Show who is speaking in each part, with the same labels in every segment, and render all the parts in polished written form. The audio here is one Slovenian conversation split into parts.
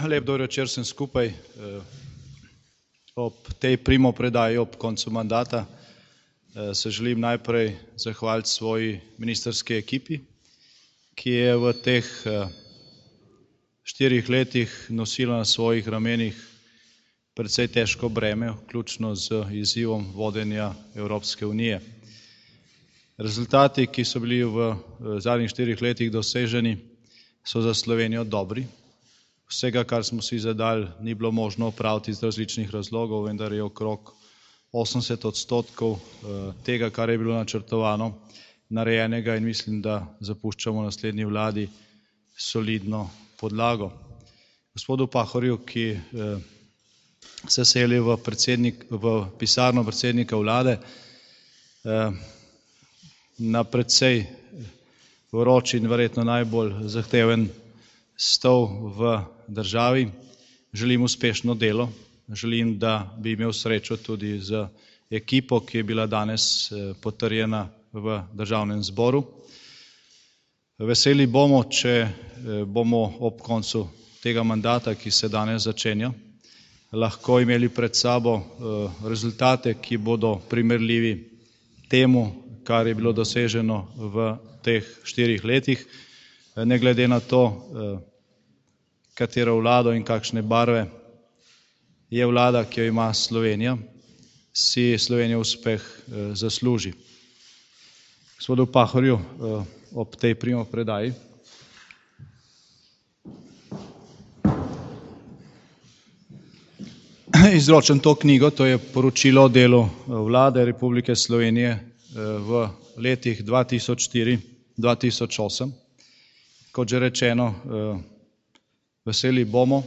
Speaker 1: Lep dober večer vsem skupaj. Ob tej primopredaji ob koncu mandata se želim najprej zahvaliti svoji ministrski ekipi, ki je v teh 4 letih nosila na svojih ramenih precej težko breme, vključno z izzivom vodenja Evropske unije. Rezultati, ki so bili v zadnjih 4 letih doseženi, so za Slovenijo dobri. Vsega, kar smo si zadali, ni bilo možno opraviti iz različnih razlogov, vendar je okrog 80% tega, kar je bilo načrtovano, narejenega in mislim, da zapuščamo naslednji vladi solidno podlago. Gospodu Pahorju, ki se seli v pisarno predsednika vlade, na precej vroč in verjetno najbolj zahteven stol v državi, želim uspešno delo, želim, da bi imel srečo tudi z ekipo, ki je bila danes potrjena v državnem zboru. Veseli bomo, če bomo ob koncu tega mandata, ki se danes začenja, lahko imeli pred sabo rezultate, ki bodo primerljivi temu, kar je bilo doseženo v teh 4 letih, ne glede na to, katero vlado in kakšne barve je vlada, ki jo ima Slovenija, si Slovenija uspeh zasluži. Gospodu Pahorju ob tej primopredaji izročam to knjigo, to je poročilo o delu Vlade Republike Slovenije v letih 2004-2008. Kot že rečeno, veseli bomo,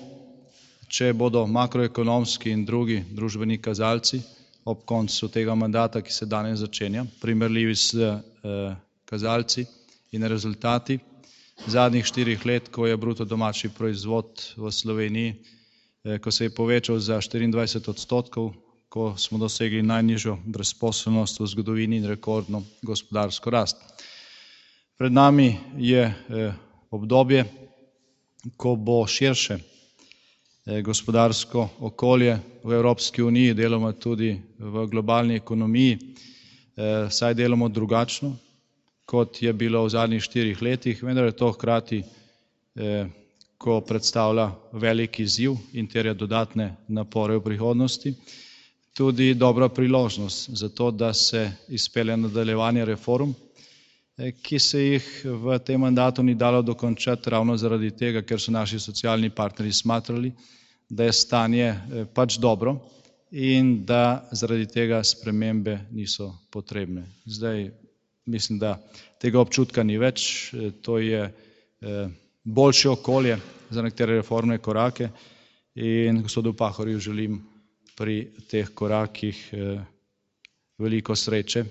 Speaker 1: če bodo makroekonomski in drugi družbeni kazalci ob koncu tega mandata, ki se danes začenja, primerljivi s kazalci in rezultati zadnjih 4 let, ko je bruto domači proizvod v Sloveniji, ko se je povečal za 24%, ko smo dosegli najnižjo brezposelnost v zgodovini in rekordno gospodarsko rast. Pred nami je obdobje, ko bo širše gospodarsko okolje v Evropski uniji, deloma tudi v globalni ekonomiji, saj delamo drugačno, kot je bilo v zadnjih 4 letih, vendar je to hkrati, ko predstavlja velik izziv in terja dodatne napore v prihodnosti, tudi dobra priložnost za to, da se izpelje nadaljevanje reform, ki se jih v tem mandatu ni dalo dokončati ravno zaradi tega, ker so naši socialni partnerji smatrali, da je stanje pač dobro in da zaradi tega spremembe niso potrebne. Zdaj mislim, da tega občutka ni več, to je boljše okolje za nekatere reformne korake in gospodu Pahorju želim pri teh korakih veliko sreče,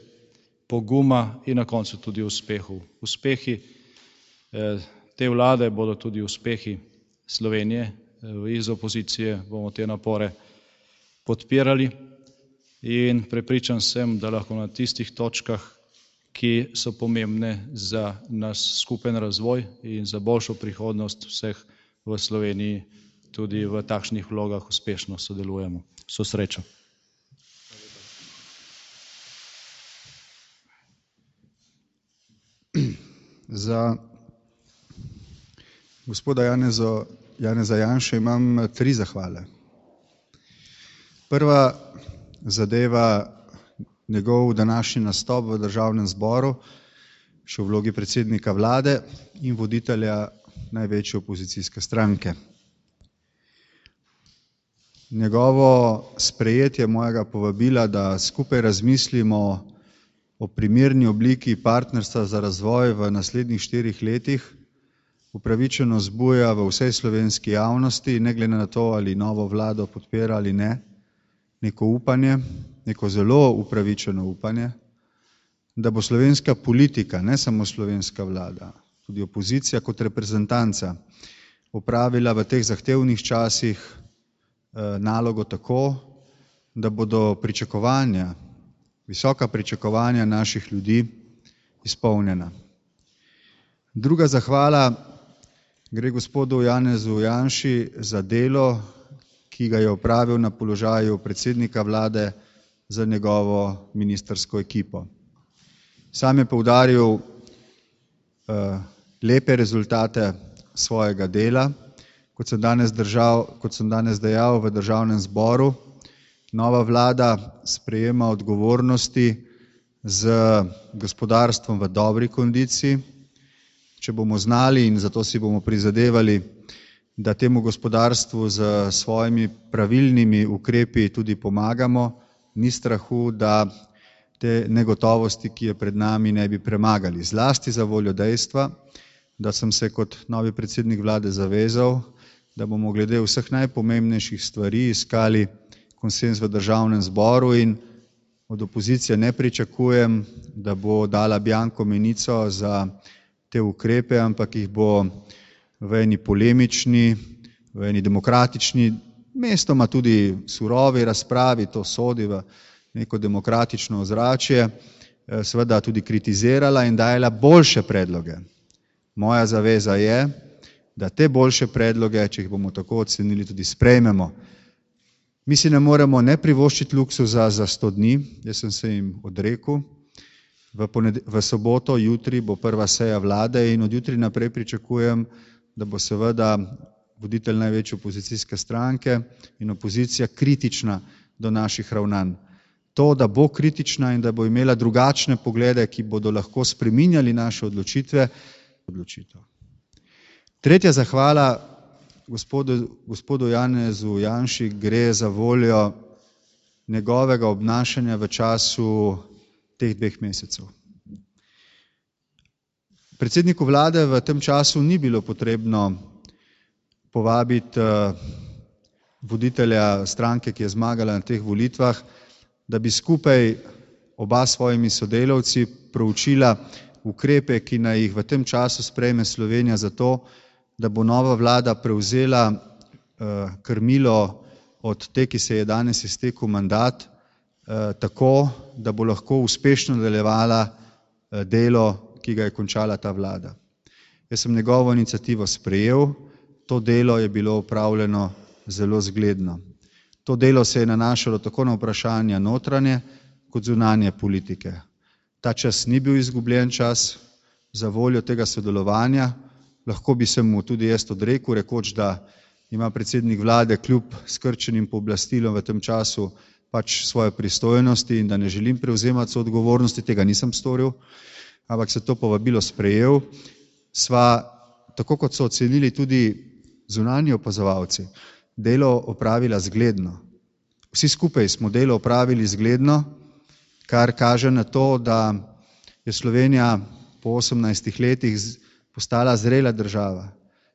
Speaker 1: poguma in na koncu tudi uspehov. Uspehi te vlade bodo tudi uspehi Slovenije, iz opozicije bomo te napore podpirali in prepričan sem, da lahko na tistih točkah, ki so pomembne za nas skupen razvoj in za boljšo prihodnost vseh v Sloveniji, tudi v takšnih vlogah uspešno sodelujemo. Vso srečo.
Speaker 2: Za gospoda Janeza Janšo imam 3 zahvale. Prva zadeva njegov današnji nastop v državnem zboru, še v vlogi predsednika vlade in voditelja največje opozicijske stranke. Njegovo sprejetje mojega povabila, da skupaj razmislimo o primerni obliki partnerstva za razvoj v naslednjih 4 letih, upravičeno zbuja v vsej slovenski javnosti, ne glede na to, ali novo vlado podpira ali ne, neko upanje, neko zelo upravičeno upanje, da bo slovenska politika, ne samo slovenska vlada, tudi opozicija kot reprezentanca, opravila v teh zahtevnih časih nalogo tako, da bodo pričakovanja, visoka pričakovanja naših ljudi izpolnjena. Druga zahvala Gre gospodu Janezu Janši za delo, ki ga je opravil na položaju predsednika vlade za njegovo ministrsko ekipo. Sam je poudaril lepe rezultate svojega dela, kot sem danes dejal v Državnem zboru. Nova vlada sprejema odgovornosti z gospodarstvom v dobri kondiciji. Če bomo znali, in zato si bomo prizadevali, da temu gospodarstvu z svojimi pravilnimi ukrepi tudi pomagamo, ni strahu, da te negotovosti, ki je pred nami, ne bi premagali. Zlasti za voljo dejstva, da sem se kot novi predsednik vlade zavezal, da bomo glede vseh najpomembnejših stvari iskali konsenz v Državnem zboru in od opozicije ne pričakujem, da bo dala bianko menico za te ukrepe, ampak jih bo v eni polemični, v eni demokratični, mestoma tudi surovi razpravi, to sodi v neko demokratično ozračje, seveda tudi kritizirala in dajala boljše predloge. Moja zaveza je, da te boljše predloge, če jih bomo tako ocenili, tudi sprejmemo. Mi si ne moremo ne privoščiti luksuza za 100 dni, jaz sem se jim odrekel. V soboto, jutri bo prva seja vlade in od jutri naprej pričakujem, da bo seveda voditelj največje opozicijske stranke in opozicija kritična do naših ravnanj. To, da bo kritična in da bo imela drugačne poglede, ki bodo lahko spreminjali naše odločitev. Tretja zahvala gospodu Janezu Janši gre za voljo njegovega obnašanja v času teh 2 mesecev. Predsedniku vlade v tem času ni bilo potrebno povabiti voditelja stranke, ki je zmagala na teh volitvah, da bi skupaj oba svojimi sodelavci proučila ukrepe, ki naj jih v tem času sprejme Slovenija za to, da bo nova vlada prevzela krmilo od te, ki se je danes iztekel mandat, tako, da bo lahko uspešno nadaljevala delo, ki ga je končala ta vlada. Jaz sem njegovo iniciativo sprejel, to delo je bilo opravljeno zelo zgledno. To delo se je nanašalo tako na vprašanja notranje kot zunanje politike. Ta čas ni bil izgubljen čas za voljo tega sodelovanja, lahko bi se mu tudi jaz odrekel, rekoč, da ima predsednik vlade kljub skrčenim pooblastilom v tem času pač svoje pristojnosti in da ne želim prevzemati soodgovornosti, tega nisem storil, ampak se to povabilo sprejel. Sva, tako kot so ocenili tudi zunanji opazovalci, delo opravila zgledno. Vsi skupaj smo delo opravili zgledno, kar kaže na to, da je Slovenija po 18 letih postala zrela država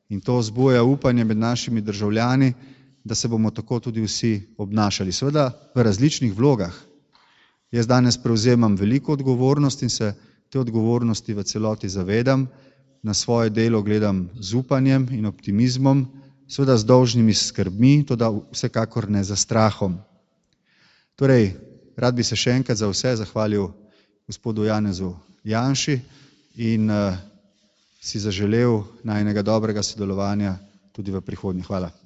Speaker 2: in to vzbuja upanje med našimi državljani, da se bomo tako tudi vsi obnašali. Seveda v različnih vlogah. Jaz danes prevzemam veliko odgovornost in se te odgovornosti v celoti zavedam, na svoje delo gledam z upanjem in optimizmom, seveda z dolžnimi skrbmi, toda vsekakor ne za strahom. Torej, rad bi se še enkrat za vse zahvalil gospodu Janezu Janši in si zaželel najinega dobrega sodelovanja tudi v prihodnje. Hvala.